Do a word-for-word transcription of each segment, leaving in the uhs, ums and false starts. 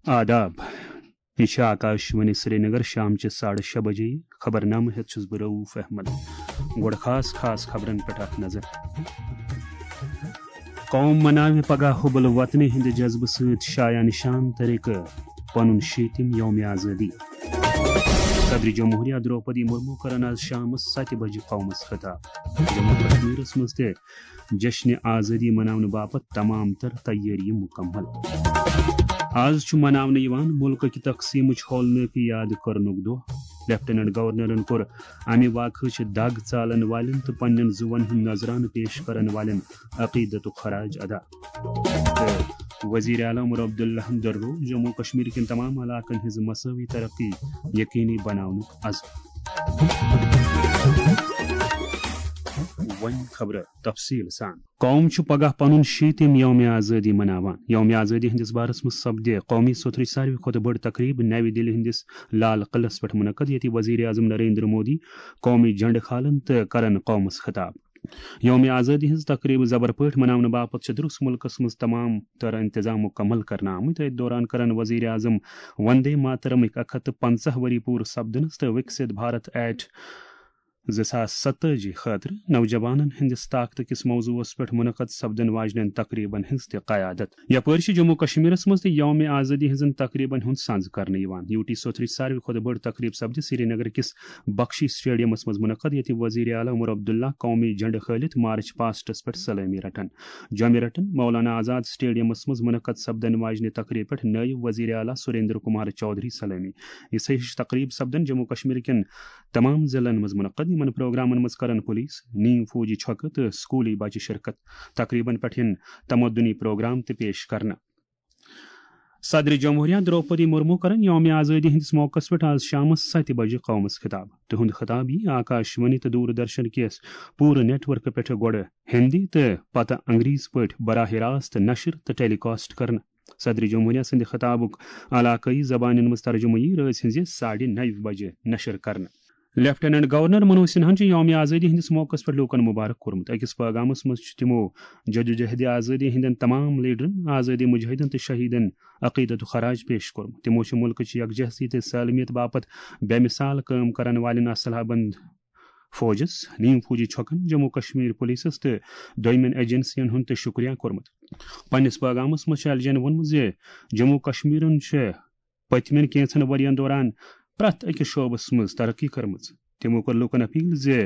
آداب۔ یہِ چھِ آکاشوانی سرینگر، شامچہِ ساڑٕ شےٚ بجے۔ خبرنامہٕ ہٮ۪تھ چھُس بہٕ رؤف احمد۔ گۄڈٕ خاص خاص خبرن پٮ۪ٹھ اکھ نظر۔ قوم مناوِ پگاہ حب الوطنی ہٕنٛدِ جذبہٕ سۭتۍ شایان شان طریقہٕ پنُن شیٖتِم یوم آزٲدی۔ صدر جمہوریہ درٛوپدی مرمو کرن آز شامس ستہِ بجہِ قومس خطاب۔ جموں کشمیرس منٛز تہِ جشن آزٲدی مناونہٕ باپتھ تمام تر تیٲری مکمل۔ آز چھُ مناونہٕ یِوان مُلکٕکۍ تقسیٖمٕچ ہولنٲکی یاد کرنُک دۄہ۔ لیفٹیننٹ گورنرن کوٚر امہِ واقعٕچ دگ ژالن والٮ۪ن تہٕ پننٮ۪ن زُوَن ہُنٛد نذرانہٕ پیش کرن والٮ۪ن عقیدتُک خراج ادا۔ تہٕ وزیر اعلیٰ عمر عبداللہَن دۄہروو جموں کشمیر کٮ۪ن تمام علاقن ہٕنٛز مساوی ترقی یقینی بناونُک عزم۔ وۄنۍ خبرٕ تفصیل سان۔ قوم چھُ پگاہ پنُن شیٖتِم یوم آزٲدی مناوان۔ یوم آزٲدی ہٕنٛدِس بارس منٛز سپدِ قومی سوتھرٕچ ساروی کھۄتہٕ بٔڑ تقریب نَوِ دِلہِ ہٕنٛدِس لال قلعس پٮ۪ٹھ منعقد، ییٚتہِ وزیر اعظم نریندر مودی قومی جھنڈٕ کھالن تہٕ کرن قومس خطاب۔ یوم آزٲدی ہٕنٛز تقریب زبر پٲٹھۍ مناونہٕ باپتھ چھِ درست مُلکس منٛز تمام تر انتظام مکمل کرنہٕ آمٕتۍ۔ أتھۍ دوران کرن وزیر اعظم وندے ماترمٕکۍ اکھ ہتھ تہٕ پنٛژاہ ؤری پوٗرٕ سپدنس تہٕ وکسِت بھارت ایٹ زٕ ساس ستٲجی خٲطرٕ نوجوانن ہٕنٛدِس طاقتہٕ کِس موضوعس پٮ۪ٹھ منعقد سپدن واجنٮ۪ن تقریبن ہٕنٛز تہِ قیادت۔ یپٲرۍ چھِ جموں کشمیرس منٛز تہِ یوم آزٲدی ہٕنٛزن تقریبن ہُنٛد سنز کرنہٕ یِوان۔ یو ٹی سوتھرٕچ ساروی کھۄتہٕ بٔڑ تقریب سپدِ سرینگر کِس بخشی سٹیڈیمس منٛز منعقد، ییٚتہِ وزیر اعلیٰ عمر عبداللہ قومی جھنڈٕ کھٲلِتھ مارچ پاسٹس پٮ۪ٹھ سلٲمی رٹن۔ جوٚمہِ رٹن مولانا آزاد سٹیڈیمس منٛز منعقد سپدن واجنہِ تقریب پٮ۪ٹھ نٲیِب وزیر اعلیٰ سریندر کمار چودھری سلٲمی۔ یِژھے ہِش تقریب سپدن جموں کشمیر کٮ۪ن تمام ضلعن منٛز منعقد۔ یِمن پروگرامن منٛز کرن پولیس، نیم فوجی چھۄکہٕ تہٕ سکولی بچہٕ شرکت۔ تقریبن پٮ۪ٹھ یِن تمدنی پروگرام تہِ پیش کرنہٕ۔ صدر جمہوریہ درٛوپدی مرمو کرن یوم آزٲدی ہٕنٛدِس موقعس پٮ۪ٹھ آز شامس ستہِ بجہِ قومس خطاب۔ تِہُنٛد خطاب یی آکاشوانی تہٕ دوردرشن کِس پوٗرٕ نیٹ ورکہٕ پٮ۪ٹھٕ گۄڈٕ ہندی تہٕ پتہٕ انگریزی پٲٹھۍ براہ راست نشر تہٕ ٹیلی کاسٹ کرنہٕ۔ صدر جمہوریہ سٕنٛدِ خطابُک علاقٲیی زبانن منٛز ترجمہٕ یی رٲژ ہٕنٛزِ ساڑِ نَوِ بجہِ نشر کرنہٕ۔ لیفٹیننٹ گورنر منوج سنہاہن چھُ یوم آزٲدی ہٕنٛدِس موقعس پٮ۪ٹھ لوٗکن مبارک کوٚرمُت۔ أکِس پٲغامس منٛز چھُ تِمو جدوجہد آزٲدی ہٕنٛدٮ۪ن تمام لیڈرن، آزٲدی مجاہدن تہٕ شہیدن عقیدتُک خراج پیش کوٚرمُت۔ تِمو چھُ مُلکٕچ یکجہتی تہٕ سالمیت باپتھ بے مثال کٲم کرن والٮ۪ن اسلحہ بند فوجس، نیم فوجی چھۄکن، جموں کشمیر پولیسس تہٕ دویمٮ۪ن ایجنسین ہُنٛد تہِ شُکریہ کوٚرمُت۔ پننِس پٲغامس منٛز چھُ ایل جی ین ووٚنمُت زِ جموں کشمیرن چھِ پٔتمٮ۪ن کینٛژن ؤرین دوران پرٛٮ۪تھ أکِس شعبس منٛز ترقی کٔرمٕژ۔ تِمو کٔر لوٗکن اپیل زِ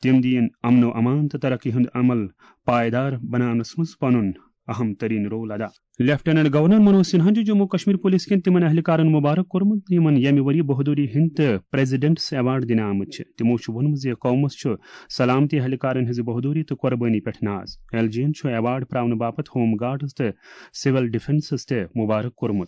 تِم دِیِن امن و امان تہٕ ترقی ہُنٛد عمل پائیدار بناونس منٛز پنُن اہم ترین رول ادا۔ لیفٹیننٹ گورنر منوج سنہاہن چھُ جموں کشمیر پولیس کٮ۪ن تِمن اہلکارن مبارک کوٚرمُت، یِمن ییٚمہِ ؤری بہادری ہٕنٛدۍ تہٕ پریزیڈنٹس ایوارڈ دِنہٕ آمٕتۍ چھِ۔ تِمو چھُ ووٚنمُت زِ قومس چھُ سلامتی اہلکارن ہٕنٛزِ بہادری تہٕ قۄربٲنی پٮ۪ٹھ ناز۔ ایل جی ین چھُ ایوارڈ پراونہٕ باپتھ ہوم گارڈز تہٕ سول ڈیفنسس تہِ مبارک کوٚرمُت۔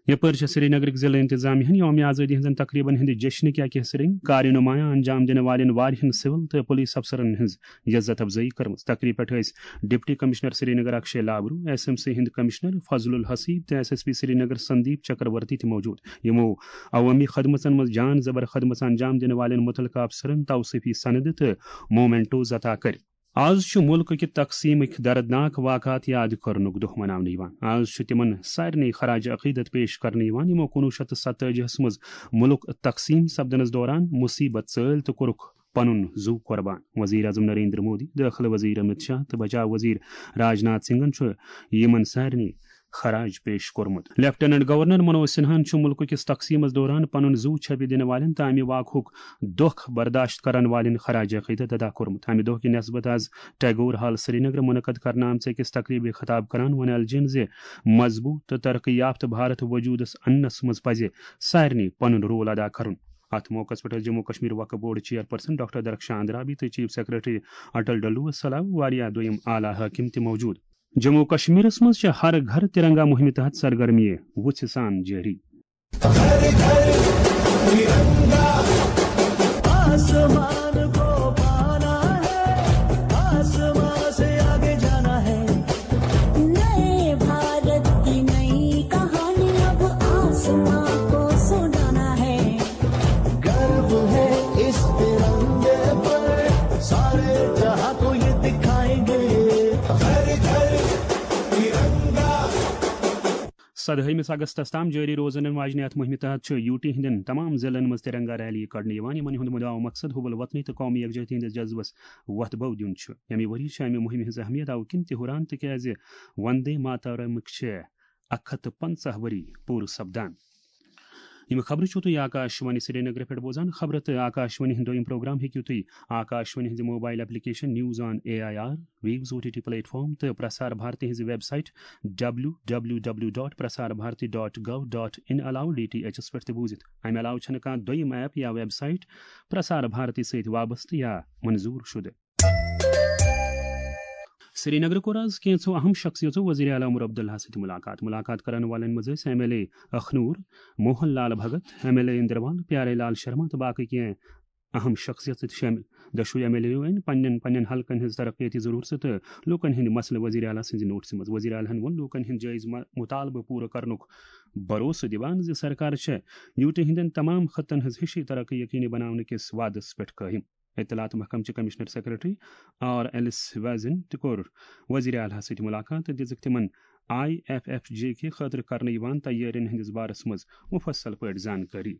یپٲرۍ چھےٚ سرینگرٕکۍ ضلعہٕ انتظامیہ ہن یوم آزٲدی ہٕنٛزن تقریبن ہٕنٛدِ جشنٕکۍ اکہِ حصہٕ رٔنگۍ کارِ نمایاں انجام دِنہٕ والٮ۪ن واریاہن سول تہٕ پولیس افسرن ہٕنٛز عزت افزٲیی کٔرمٕژ۔ تقریب پٮ۪ٹھ ٲسۍ deputy commissioner Srinagar Akshay Labroo, S M C ہٕنٛدۍ کمشنر فضل الحسیب تہٕ S S P Srinagar Sandeep Chakravarty تہِ موجود، یِمو عوٲمی خدمژن منٛز جان زبر خدمژ انجام دِنہٕ والٮ۪ن مُتعلقہٕ افسرن توصیفی سندٕ تہٕ مومنٹوز عطا کٔرۍ۔ آز چھُ مُلکہٕ کہِ تقسیٖمٕکۍ دردناک واقعات یاد کرنُک دۄہ مناونہٕ یِوان۔ آز چھُ تِمن سارنٕے خراج عقیدت پیش کرنہٕ یِوان، یِمو کُنوُہ شیٚتھ تہٕ ستٲجی ہس منٛز مُلک تقسیٖم سپدنس دوران مُصیبت ژٲلۍ تہٕ کوٚرُکھ پنُن زُو قۄربان۔ وزیر اعظم نریندر مودی، دٲخلہٕ وزیر امت شاہ تہٕ بچاو وزیر راج ناتھ سنگھن چھُ یِمن سارنٕے خراج پیش کوٚرمُت۔ لیفٹیننٹ گورنر منوج سنہاہن چھُ مُلکہٕ کِس تقسیٖمس دوران پنُن زُو چھپہِ دِنہٕ والٮ۪ن تہٕ امہِ واقعُک دۄکھ برداشت کرن والٮ۪ن خراج عقیدت ادا کوٚرمُت۔ امہِ دۄہ کہِ نسبت آز ٹیگور ہال سرینگر منعقد کرنہٕ آمژِ أکِس تقریبہِ خطاب کران ووٚن ایل جی ین زِ مضبوط تہٕ ترقی یافتہٕ بھارت وجودس اننس منٛز پزِ سارنٕے پنُن رول ادا کرُن۔ اتھ موقعس پٮ۪ٹھ ٲسۍ جموں کشمیر وقف board chairperson doctor Darakhshan Andrabi تہٕ چیف سیکرٹری اٹل ڈلو سلاو واریاہ دوٚیم اعلیٰ حٲکم تہِ موجود۔ جموں کشمیرس منٛز چھِ ہر گھر ترنگا مہمہِ تحت سرگرمیہِ وُژھِ سان جٲری۔ آسمان کو پانا ہے، آسمان سے آگے جانا ہے۔ نئے بھارت کی نئی کہانی اب آسمان کو سنانا ہے۔ گرو ہے اس ترنگے پر، سارے جہاں کو یہ دکھائیں گے۔ ہر گھر ترنگا۔ سدہٲیمِس اگستس تام جٲری روزن واجنہِ اتھ مُہِمہِ تحت چھُ یوٗ ٹی ہٕنٛدٮ۪ن تمام ضلعن منٛز ترنگا ریلی کڑنہٕ یِوان، یِمن ہُنٛد مُدعا و مقصد حب الوطنی تہٕ قومی یکجہتی ہٕنٛدِس جذبس وۄتھ بو دیُن چھُ۔ ییٚمہِ ؤری چھِ امہِ مُہِمہِ ہٕنٛز اہمیت اوٕ کِنۍ تہِ ہُران، تِکیازِ وندے ماترمٕکۍ چھِ اکھ ہتھ تہٕ پنژاہ ؤری پوٗرٕ سپدان۔ یِم خبرٕ چھِو تُہۍ آکاش وانی سرینگرٕ پٮ۪ٹھ بوزان۔ خبرٕ تہٕ آکاش وانی ہُنٛد دوٚیِم پروگرام ہیٚکِو تُہۍ آکاش وانی ہٕنٛزِ mobile application news on A I R, views O T T platform تہٕ پرسار بھارتی ہٕنٛزِ website W W W dot Prasar Bharati dot gov dot in علاوٕ ڈی ٹی ایچ ایس پٮ۪ٹھ تہِ بوٗزِتھ۔ امہِ علاوٕ چھنہٕ کانٛہہ دوٚیِم ایپ یا ویب سائٹ پرسار بھارتی سۭتۍ وابستہٕ یا منظور شدٕ۔ سرینگرٕ کوٚر آز کینٛژھو اہم شخصیژو وزیر اعلیٰ عمر عبداللہ سۭتۍ ملاقات۔ ملاقات کرن والٮ۪ن منٛز ٲسۍ M L A Akhnoor, Mohan Lal Bhagat, M L A Inderwal, Pyare Lal Sharma تہٕ باقٕے کینٛہہ اہم شخصیژٕ تہِ شٲمِل۔ دۄشوٕے ایم ایل اے یو أنۍ پننٮ۪ن پننٮ۪ن حلقن ہٕنٛز ترقیتی ضروٗرتہٕ تہٕ لوٗکن ہٕنٛدۍ مسلہٕ وزیر اعلیٰ سٕنٛزِ نوٹسہِ منٛز۔ وزیر اعلیٰ ہن ووٚن، لوٗکن ہٕنٛدۍ جٲیز م-، مطالبہٕ پوٗرٕ کرنُک بھروسہٕ دِوان زِ سرکار چھےٚ یوٗ ٹی ہٕنٛدٮ۪ن تمام خطن ہٕنٛز ہِشی ترقی یقینی بناونہٕ کِس وعدس پٮ۪ٹھ قٲیِم۔ اطلاعات محکمہٕ چہِ کمشنر سیکرٹری آر ایلس ویزن تہِ کوٚر وزیر اعلیٰ سۭتۍ ملاقات تہٕ دِژٕکھ تِمن آئی ایف ایف جے کہِ خٲطرٕ کرنہٕ یِوان تیٲرین ہٕنٛدِس بارس منٛز مفصل پٲٹھۍ زانکٲری۔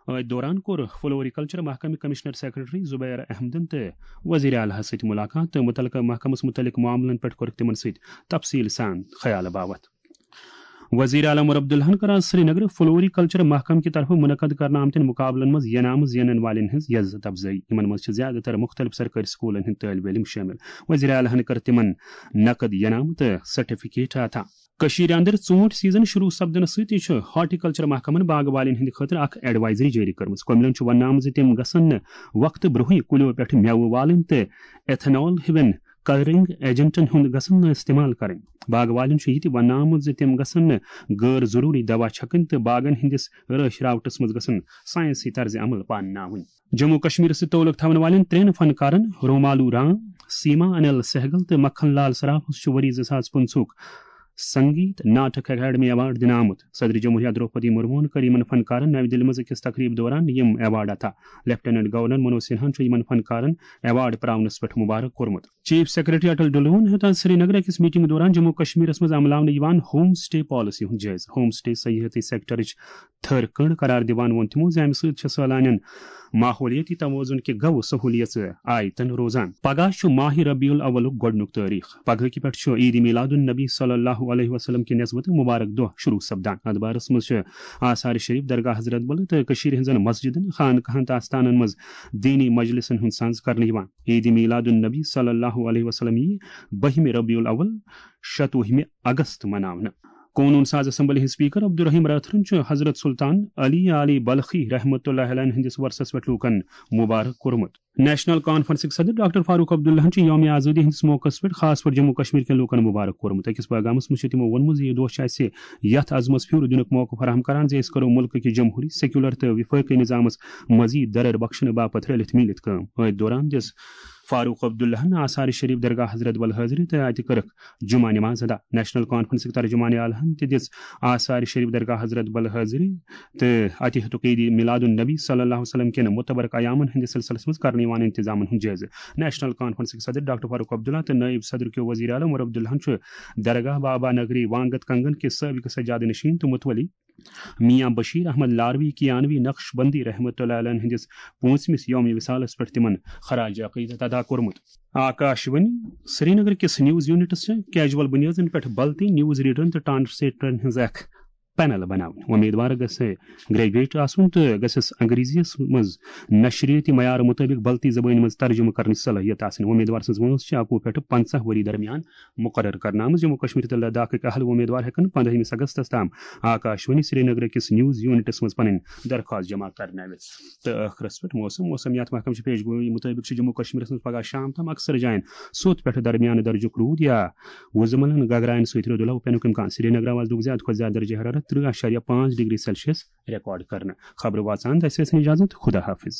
أتھۍ دوران کوٚر فلوریکلچر محکمہٕ کمشنر سیکرٹری زبیر احمدن تہٕ وزیر اعلیٰ سۭتۍ ملاقات تہٕ متعلقہٕ محکمس متعلق معاملن پٮ۪ٹھ کوٚرُکھ تِمن سۭتۍ تفصیل سان خیال باوتھ۔ وزیر اعلیٰ عمر عبداللہن کٔر آز سرینگرٕ فلوریکلچر محکمہٕ کہِ طرفہٕ منعقد کرنہٕ آمتٮ۪ن مقابلن منٛز ینامہٕ زینن والٮ۪ن ہٕنٛز عزت افزٲیی۔ یِمن منٛز چھِ زیادٕ تر مختلف سرکٲرۍ سکوٗلن ہٕنٛدۍ طٲلبہِ علم شٲمِل۔ وزیر اعلیٰ ہن کٔر تِمن نقد ینامہٕ تہٕ سرٹیفکیٹ عطا۔ کٔشیٖرِ اندر ژوٗنٛٹھۍ سیزن شروع سپدنہٕ سۭتی چھُ ہارٹیکلچر محکمن باغہٕ والٮ۪ن ہٕنٛدِ خٲطرٕ اکھ ایڈوائزری جٲری کٔرمٕژ۔ کٔمِلن چھُ وننہٕ آمُت زِ تِم گژھن نہٕ وقتہٕ برونٛہٕے کُلٮ۪و پٮ۪ٹھ مٮ۪وٕ والٕنۍ تہٕ ایتھنال ہِوٮ۪ن کلرنگ ایجنٹن ہُنٛد گژھن نہٕ استعمال کرٕنۍ۔ باغہٕ والٮ۪ن چھُ یہِ تہِ وننہٕ آمُت زِ تِم گژھن نہٕ غٲر ضروٗری دوا چھکٕنۍ تہٕ باغن ہٕنٛدِس رٲچھ راوٹس منٛز گژھن ساینسی طرزِ عمل پانناوٕنۍ۔ جموں کشمیرس سۭتۍ تعلق تھاون والٮ۪ن ترٛٮ۪ن فنکارن رومالو رام، سیما انل سہگل تہٕ مکھن لال سراف چھُ ؤری زٕ ساس پٕنٛژٕہُک سنگیت ناٹک اکیڈمی ایوارڈ دِنہٕ آمُت۔ صدر جمہوریہ دروپدی مرموہن کٔر یِمن فنکارن نَوِ دِلہِ منٛز أکِس تقریب دوران یِم ایوارڈ عطا۔ لیفٹیننٹ گورنر منوج سنہاہن چھُ یِمن فنکارن ایوارڈ پراونس پٮ۪ٹھ مبارک کوٚرمُت۔ چیف سیکرٹری اٹل ڈلون ہیوٚت آز سرینگرٕ أکِس میٹنگ دوران جموں کشمیرس منٛز عملاونہٕ یِوان ہوم سٹے پالیسی ہُنٛد جٲیزٕ۔ ہوم سٹے سیاحتی سیکٹرٕچ تھٔر کٔنڈ قرار دِوان ووٚن تِمو زِ امہِ سۭتۍ چھِ سٲلانٮ۪ن ماحولیٲتی توازن کہِ گوٚو سہولیژٕ آیتن روزان۔ پگاہ چھُ ماہِ ربیع الاولُک گۄڈٕنیُک تٲریخ۔ پگہٕکہِ پٮ۪ٹھ چھُ عید میلاد النبی صلی اللہ علیہ وسلم کہِ نسبتہٕ مبارک دۄہ شروع سپدان۔ اتھ بارس منٛز چھِ آثار شریف، درگاہ حضرت بل تہٕ کٔشیٖرِ ہٕنٛزن مسجدن، خانقاہن تہٕ آستانن منٛز دینی مجلسن ہُنٛد سنز کرنہٕ یِوان۔ عید میلاد النبی صلی اللہ علیہ وسلم یی بٔہمہِ ربیع الاول، شتوُہمہِ اگست مناونہٕ۔ قونوٗن ساز اسمبلی ہٕنٛدۍ سپیکر عبدالرحیم رٲتھرن چھُ حضرت سلطان علی علی بلخی رحمۃ اللہ علیہ ہٕنٛدِس ورثس پٮ۪ٹھ لوٗکن مبارک کوٚرمُت۔ نیشنل کانفرنسٕکۍ صدر ڈاکٹر فاروق عبداللہن چھُ یوم آزادی ہٕنٛدِس موقعس پٮ۪ٹھ خاص پٲٹھۍ جموں کشمیر کٮ۪ن لوٗکن مبارک کوٚرمُت۔ أکِس پیغامس منٛز چھُ تِمو ووٚنمُت زِ یہِ دۄہ چھُ اَسہِ یَتھ عزمس پھیُر دِنُک موقعہٕ فراہم کران زِ أسۍ کرو مُلکہٕ کہِ جمہوٗری، سیکولر تہٕ وفٲقی نظامس مزید درر بخشنہٕ باپتھ رٔلِتھ میٖلِتھ کٲم۔ أتھۍ دوران دِژ فاروق عبداللہن آثار شریف درگاہ حضرت بل حٲضری تہٕ اتہِ کٔرٕکھ جمعہ نماز ادا۔ نیشنل کانفرنسٕکۍ ترجمان اعلیٰہن تہِ دِژ آثار شریف درگاہ حضرت بل حٲضری تہٕ اتہِ ہیوٚتُکھ عید میلاد النبی صلی اللہ علیہ وسلم کٮ۪ن معتبر قیامن ہٕنٛدِس سلسلس منٛز کرنہٕ یِوان انتظامن ہُنٛد جٲیزٕ۔ نیشنل کانفرنسٕکۍ صدر ڈاکٹر فاروق عبداللہ تہٕ نٲیِب صدر کیو وزیر اعلیٰ عمر عبداللہن چھُ درگاہ بابا نگری وانگت کنگن کِس سٲبقہٕ سجادٕ نشین تہٕ متولی میاں بشیر احمد لاروی کیانوی نقش بندی رحمۃ اللہ علیہ ہٕنٛدِس پوٗنٛژمِس یوم وصالس پٮ۪ٹھ تِمن خراج عقیدت ادا کوٚرمُت۔ آکاش وانی سرینگر کِس نیوز یونٹس چھِ کیجول بُنیادن پٮ۪ٹھ بلتی نیوز ریڈرن تہٕ ٹرانسلیٹرن ہٕنٛز اکھ پینل بناوٕنۍ۔ امیدوار گژھِ گریجویٹ آسُن تہٕ گژھٮ۪س انگریزی یس منٛز نشریٲتی معیار مطٲبق بلتی زبٲنۍ منٛز ترجمہٕ کرنٕچ صلٲحیت آسٕنۍ۔ امیدوار سٕنٛز وٲنٛس چھِ اَکوُہ پٮ۪ٹھٕ پنٛژاہ ؤری درمیان مقرر کرنہٕ آمٕژ۔ جموں کشمیر تہٕ لداخٕکۍ اہل وۄمیدوار ہٮ۪کن پندٲہمِس اگستس تام آکاش وانی سرینگرٕ کِس نیوز یونٹس منٛز پنٕنۍ درخواست جمع کرنٲوِتھ۔ تہٕ ٲخرس پٮ۪ٹھ موسم۔ موسمیات محکمہٕ چھِ پیش گویی مطٲبق چھُ جموں کشمیرس منٛز پگاہ شام تام اکثر جاین سوٚت پٮ۪ٹھٕ درمیانہٕ درجُک روٗد یا وُزملن گگراین سۭتۍ رُدٕ لو پینُک امکان۔ سرینگرٕ آز لوٚگ زیادٕ کھۄتہٕ زیادٕ درجہ حرارت ترٕٛہ اَشاریہ پانٛژھ ڈگری سیلسیس ریکارڈ کرنہٕ۔ خبرٕ واژان دَسہِ ٲسِن اجازت، خدا حافظ۔